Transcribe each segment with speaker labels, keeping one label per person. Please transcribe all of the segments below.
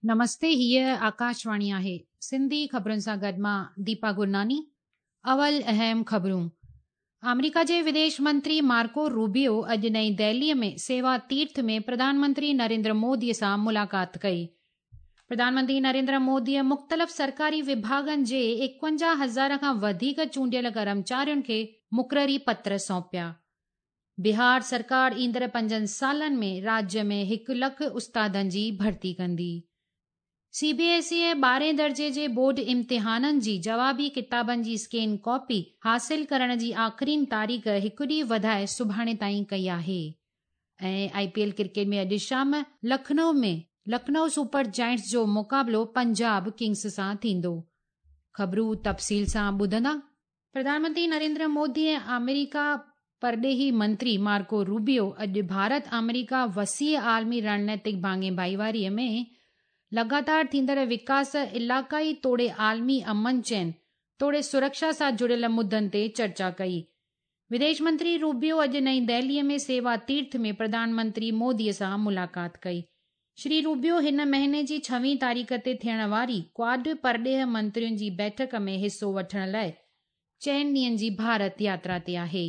Speaker 1: نمستي هيء آڪاشواڻي آهي سنڌي خبرن سان گڏ مان ديپا گرناني اول اهم خبرون آمريڪا جي وديش منتري مارڪو روبيو اڄ نئين دهلي ۾ سيوا تيرٿ ۾ پرڌان منتري نريندر مودي سان ملاقات ڪئي پرڌان منتري نريندر مودي مختلف سرڪاري وڀاڳن جي 51 هزار کان وڌيڪ چونڊيل ڪرمچارين کي مقرري پتر سونپيا بهار سرڪار ايندڙ پنجن سالن ۾ راجيه ۾ هڪ لک استادن جي ڀرتي ڪندي. سي بي ايس اي ٻارهين درجي جي بورڊ امتحانن جي جوابي ڪتابن جي اسڪين ڪاپي حاصل ڪرڻ جي آخرين تاريخ هڪ ڏينهن وڌائي سڀاڻي تائين ڪئي آهي ۽ آء پي ايل ڪرڪيٽ ۾ اڄ شام لکنؤ ۾ لکنؤ سپر جائنٽس جو مقابلو پنجاب ڪنگز سان ٿيندو. خبرون تفصيل سان ٻڌندا. پرڌان منتري نريندر مودي ۽ آمريڪا پرڏيهي منتري مارڪو روبيو اڄ ڀارت آمريڪا وسيع عالمي رڻنيتڪ ڀاڱي ڀائيواري ۾ لڳاتار ٿيندڙ وڪاس، علائقائي توڙي عالمي امن چين توڙي سرڪشا سان جڙيل مدن تي چرچا ڪئي. وديش منتري روبيو اڄ نئين دهلي ۾ سيوا تيرٿ ۾ پرڌان منتري مودي سان ملاقات ڪئي. شري روبيو هن مهيني جي ڇويهين تاريخ تي ٿيڻ واري ڪواڊ پرڏيهه منترين جي بيٺڪ ۾ حصو وٺڻ لاء چئن ڏينهن جي ڀارت ياترا تي آهي.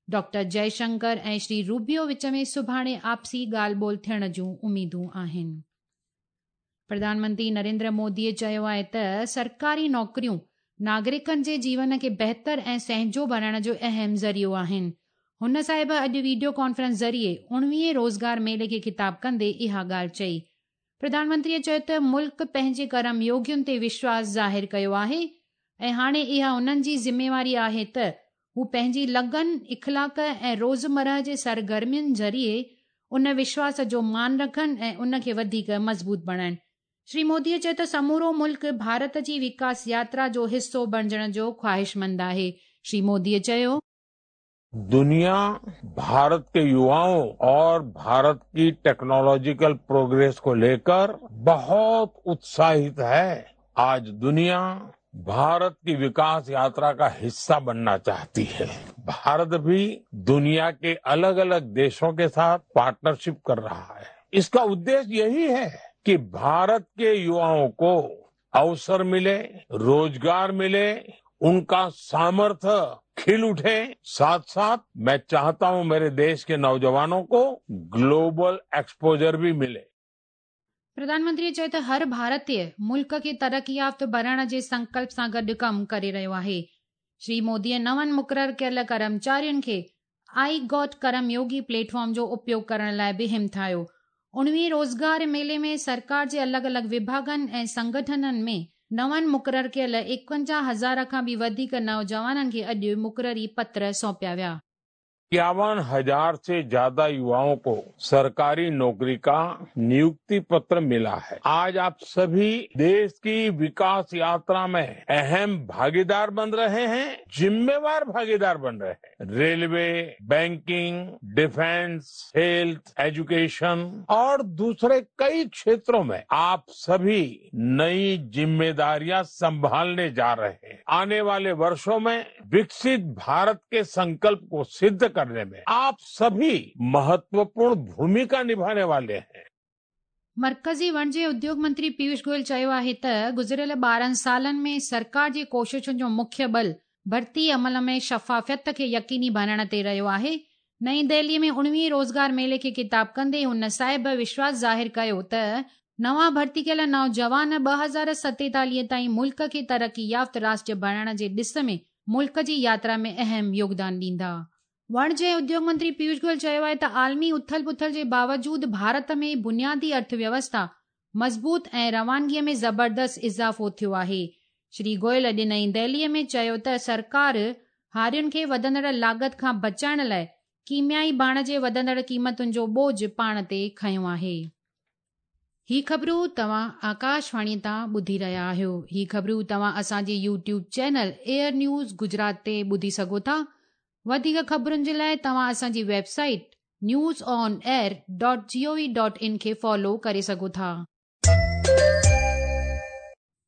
Speaker 1: ڊاڪٽر جئي شنڪر ۽ شري روبيو وچ ۾ سڀاڻي آپسي ڳالهه ٻولهه ٿيڻ جون اميدون آهن. پرڌان منتري نريندر مودي چيو آهي ته سرڪاري نوڪريون ناگرڪن جي جيون کي بهتر ۽ سهنجو بڻائڻ جو اهم ذريعو آهن. هن صاحب اڄ ويڊيو ڪانفرنس ذريعي اڻويهين روزگار ميلي کي خطاب ڪندي اها ڳالهه چئي. پرڌان منتريء چيو ته ملڪ پنهنجي ڪرم يوگين تي وشواس ظاهر ڪيو آهي ۽ هاڻي اها انهن جي ذميواري آهي ته هو پنهنجي لگن، اخلاق ۽ روزمرهه جي سرگرمين ذريعي ان وشواس جو مان رکن ۽ ان کي وڌيڪ مضبوط بڻائين. شري موديء چيو ته سمورو ملڪ ڀارت جي وڪاس ياترا جو حصو بڻجڻ جو خواهشمند آهي. شري موديء چيو.
Speaker 2: दुनिया भारत के युवाओं और भारत की टेक्नोलॉजिकल प्रोग्रेस को लेकर बहुत उत्साहित है। आज दुनिया भारत की विकास यात्रा का हिस्सा बनना चाहती है। भारत भी दुनिया के अलग अलग देशों के साथ पार्टनरशिप कर रहा है। इसका उद्देश्य यही है कि भारत के युवाओं को अवसर मिले, रोजगार मिले, उनका सामर्थ्य खिल उठे। साथ साथ मैं चाहता हूं मेरे देश के नौजवानों को ग्लोबल एक्सपोजर भी मिले।
Speaker 1: प्रधान मंत्रीअ चयो त हर भारतीय मुल्क खे तरक़ी याफ़्त बणाइण जे संकल्प सां गॾु कमु करे रहियो आहे। श्री मोदीअ नवनि मुक़ररु कयल करमचारियुनि खे I got Karmayogi platform जो उपयोग करण लाइ बि हिमथायो। اڻويهين روزگار ميلي ۾ سرڪار جي الڳ الڳ وڀاڳن ۽ سنگٺنن ۾ نون مقرر ڪيل 51 هزار کان به وڌيڪ نوجوانن کي اڄ مقرري پتر سونپيا ويا.
Speaker 2: 51 हजार से ज्यादा युवाओं को सरकारी नौकरी का नियुक्ति पत्र मिला है। आज आप सभी देश की विकास यात्रा में अहम भागीदार बन रहे हैं, जिम्मेवार भागीदार बन रहे हैं। Railway, banking, defence, health, education और दूसरे कई क्षेत्रों में आप सभी नई जिम्मेदारियां संभालने जा रहे हैं। आने वाले वर्षों में विकसित भारत के संकल्प को सिद्ध करने में आप सभी महत्वपूर्ण भूमिका निभाने वाले हैं।
Speaker 1: मर्कज़ी वणज ऐं उद्योग मंत्री पीयूष गोयल चयो आहे त गुज़िरियल 12 सालनि में सरकार जी कोशिशुनि जो मुख्य बल भर्ती अमल में शफ़ाफ़ियत खे यकीनी बणाइण ते रहियो आहे। नई दिल्ली में 19 रोज़गार मेले खे ख़िताब कंदे हुन साहिब विश्वास ज़ाहिर कयो त नवां भर्ती कयल नौजवान 2047 ताईं मुल्क खे तरक़ी याफ़्त राष्ट्र बणाइण जे ॾिस में मुल्क जी यात्रा में अहम योगदान ॾींदा। वणज ऐं उद्योग मंत्री पीयूष गोयल चयो आहे त आलमी उथल पुथल जे बावजूद भारत में बुनियादी अर्थव्यवस्था मज़बूत ऐं रवानगीअ में ज़बरदस्त इज़ाफ़ो थियो आहे। श्री गोयल अॼु नई दिल्लीअ में चयो त सरकार हारियुनि खे वधंदड़ लागत खां बचाइण लाइ कीमियाई ڀاڻ جي वधंदड़ क़ीमतुनि जो बोझ पाण ते खयो आहे। ही ख़बरूं तव्हां आकाशवाणी तां ॿुधी रहिया आहियो। ही ख़बरूं तव्हां असांजे YouTube channel air news Gujarat ते ॿुधी सघो था। वधीक ख़बरुनि जे लाइ तव्हां असांजी website news on air dot G O V dot in खे फॉलो करे सघो था।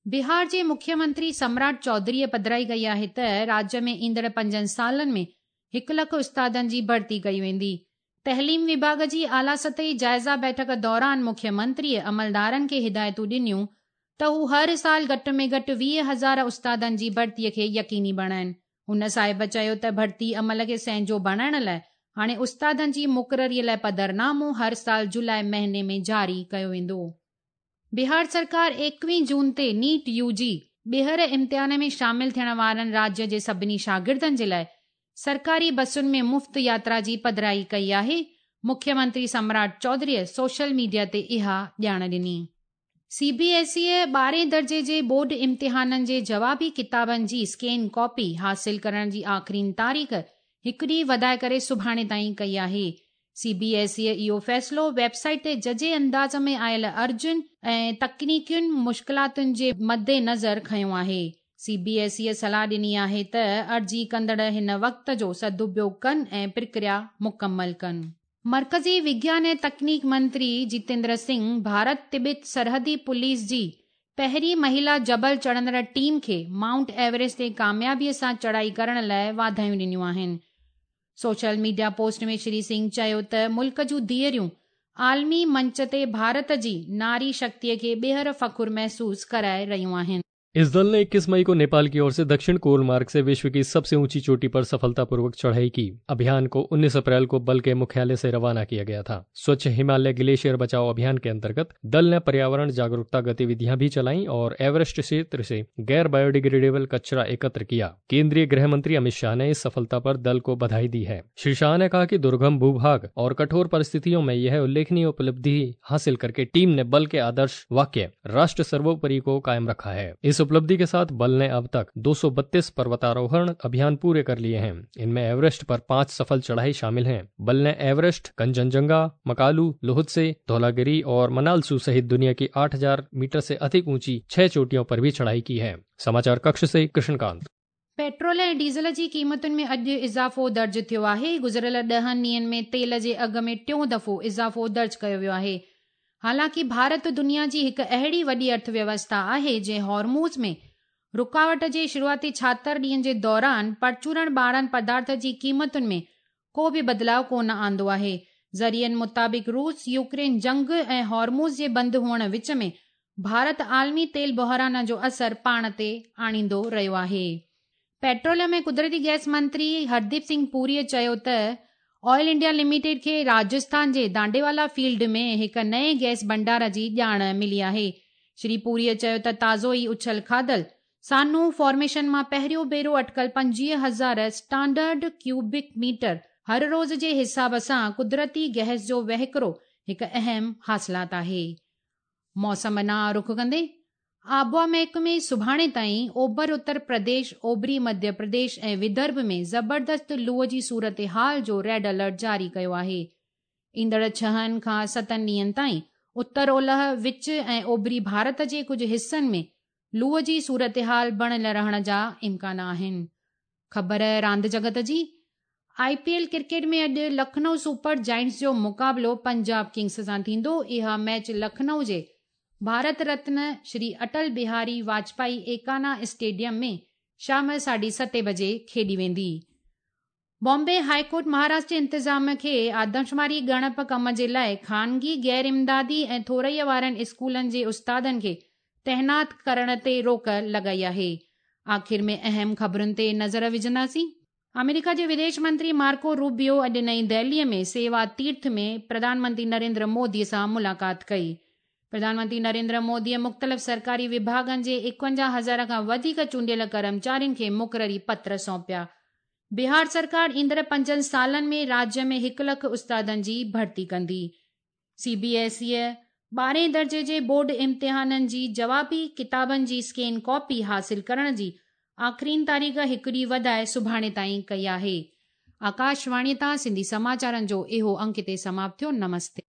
Speaker 1: बिहार जे मुख्यमंत्री सम्राट चौधरीअ पधराई कई आहे त राज्य में ईंदड़ पंजनि सालनि में 1 लख उस्तादनि जी भर्ती कई वेंदी। تعليم وڀاڳ جي اعليٰ سطحي جائزه بيٺڪ دوران مکيه منتريء عملدارن کي هدايتون ڏنيون ته هو هر سال گهٽ ۾ گهٽ 20 هزار استادن جي ڀرتي کي يقيني بڻائين. هن صاحب چيو ته ڀرتي عمل کي سهنجو بڻائڻ لاء هاڻي استادن جي مقرري لاء پڌرنامو هر سال جولاء مهيني ۾ جاري ڪيو ويندو. بهار سرڪار 21 جون تي نيٽ يو جي ٻيهر امتحان ۾ شامل ٿيڻ وارن راجيه جي سڀني شاگردن جي لاء سرڪاري بسن ۾ مفت ياترا جي پڌرائي ڪئي آهي. مکيه منتري سمراٽ چوڌريء سوشل ميڊيا تي اها ڄاڻ ڏني. سي بي ايس ايء ٻارهين درجي جي بورڊ امتحانن جي جوابي ڪتابن جي اسڪين ڪاپي حاصل ڪرڻ جي آخرين تاريخ هڪ ڏينهن وڌائي ڪري سڀاڻي تائين ڪئي آهي. سي بي ايس ايء اهو فيصلو ويب سائيٽ تي ججهي انداز ۾ آيل عرضين ۽ تڪنيڪين مشڪلاتن جي مدنظر کنيو آهي. سي بي ايس ايء صلاح ڏني آهي ته عرضي ڪندڙ هن وقت جو سدپيوگ ڪن ۽ پرڪريا مڪمل ڪن. مرڪزي وگيان ۽ تڪنيڪ منتري جتيندر سنگهه ڀارت تبت سرحدي پوليس جي پهرين مهيلا جبل چڙهندڙ ٽيم کي مائونٽ ايوريسٽ تي ڪاميابي سان چڙهائي ڪرڻ لاء واڌايون ڏنيون آهن. Social media post ۾ Shri Singh چيو ته ملڪ جون ڌيئريون عالمي منچ تي ڀارت جي ناري شڪتيء کي ٻيهر فخر محسوس ڪرائي رهيون آهن.
Speaker 3: इस दल ने 21 मई को नेपाल की ओर से दक्षिण कोल मार्ग से विश्व की सबसे ऊंची चोटी पर सफलतापूर्वक चढ़ाई की। अभियान को 19 अप्रैल को बल के मुख्यालय से रवाना किया गया था। स्वच्छ हिमालय ग्लेशियर बचाओ अभियान के अंतर्गत दल ने पर्यावरण जागरूकता गतिविधियां भी चलाई और एवरेस्ट क्षेत्र से गैर बायोडिग्रेडेबल कचरा एकत्र किया। केंद्रीय गृह मंत्री अमित शाह ने इस सफलता पर दल को बधाई दी है। श्री शाह ने कहा कि दुर्गम भूभाग और कठोर परिस्थितियों में यह उल्लेखनीय उपलब्धि हासिल करके टीम ने बल के आदर्श वाक्य राष्ट्र सर्वोपरि को कायम रखा है। इस उपलब्धि के साथ बल ने अब तक 232 पर्वतारोहण अभियान पूरे कर लिए हैं। इनमें एवरेस्ट पर 5 सफल चढ़ाई शामिल हैं। बल ने एवरेस्ट, कंचनजंगा, मकालू, लोहत्से, धौलागिरी और मनालसू सहित दुनिया की 8000 मीटर से अधिक ऊंची 6 चोटियों पर भी चढ़ाई की है। समाचार कक्ष से कृष्णकांत।
Speaker 1: पेट्रोल ऐं डीज़ल जी क़ीमतुनि में अॼु इज़ाफ़ो दर्ज थियो आहे। गुज़िरियल 10 ॾींहंनि में तेल जे अघ में टियों दफ़ो इज़ाफ़ो दर्ज कयो वियो आहे। हालांकि भारत दुनिया जी हिकु अहिड़ी वॾी अर्थव्यवस्था आहे जंहिं हॉर्मूज़ में रुकावट जे शुरूआती 76 ॾींहंनि जे दौरान परचूरण ॿारनि पदार्थ जी क़ीमतुनि में को बि बदिलाव कोन आंदो आहे। ज़रियनि मुताबिक़ रूस यूक्रेन जंग ऐं हॉर्मूज़ जे बंदि हुअण विच में भारत आलमी तेल बहरान जो असर पाण ते आणींदो रहियो आहे। पेट्रोलियम ऐं कुदरती गैस मंत्री हरदीप सिंह पुरीअ चयो त ऑयल इंडिया लिमिटेड खे राजस्थान जे दांडेवाला फील्ड में हिकु नए गैस भंडार जी ॼाण मिली आहे। श्री पुरीअ चयो त ताज़ो ई उछल खाधल सानू फॉर्मेशन मां पहिरियों भेरो अटकल 25,000 स्टैंडर्ड क्यूबिक मीटर हर रोज़ जे हिसाब सां कुदरती गैस जो वहिकरो हिकु अहम हासिलात आहे। मौसम ॾांहुं रुख कंदे आबहावा महकमे सुभाणे ताईं ओभर उत्तर प्रदेश, ओभरी मध्य प्रदेश ऐं विदर्भ में ज़बरदस्त लूअ जी सूरत हाल जो रेड अलर्ट जारी कयो आहे। ईंदड़ 6 खां 7 ॾींहंनि ताईं उत्तर ओलह, विच ऐं ओभरी भारत जे कुझु हिसनि में लूअ जी सूरत हाल बणियल रहण जा इम्कान आहिनि। ख़बर रांदि जगत जी, आईपीएल क्रिकेट में अॼु लखनऊ सुपर जायंट्स जो मुक़ाबिलो पंजाब किंग्स सां थींदो। इहा मैच लखनऊ जे भारत रत्न श्री अटल बिहारी वाजपेयी एकाना स्टेडियम में शाम 7:30 बजे खेॾी वेंदी। बॉम्बे हाईकोर्ट महाराष्ट्र इंतज़ाम खे आदमशुमारी ॻणप कम जे लाइ ख़ानगी, गैर इमदादी ऐं थोरई वारनि स्कूलनि जे उस्तादनि खे तैनात करण ते रोक लॻाई आहे। आख़िर में अहम ख़बरुनि ते नज़र विझंदासीं। अमेरिका जे विदेश मंत्री मार्को रूबियो अॼु नई दिल्लीअ में सेवा तीर्थ में प्रधानमंत्री नरेंद्र मोदी सां मुलाक़ात कई। प्रधानमंत्री नरेंद्र मोदीअ मुख़्तलिफ़ सरकारी विभागनि जे 51,000 खां वधीक चूंडियल कर्मचारियुनि खे मुक़ररी पत्र सौंपिया। बिहार सरकार ईंदड़ 5 सालनि में राज्य में 1 लाख उस्तादनि जी भर्ती कंदी। सीबीएसईअ 12हें दर्जे जे बोर्ड इम्तिहाननि जी जवाबी किताबनि जी स्कैन कॉपी हासिल करण जी आख़िरीन तारीख़ हिकु ॾींहुं वधाए सुभाणे ताईं कई आहे। आकाशवाणी तां सिंधी समाचारनि जो इहो अंक हिते समाप्त थियो। नमस्ते।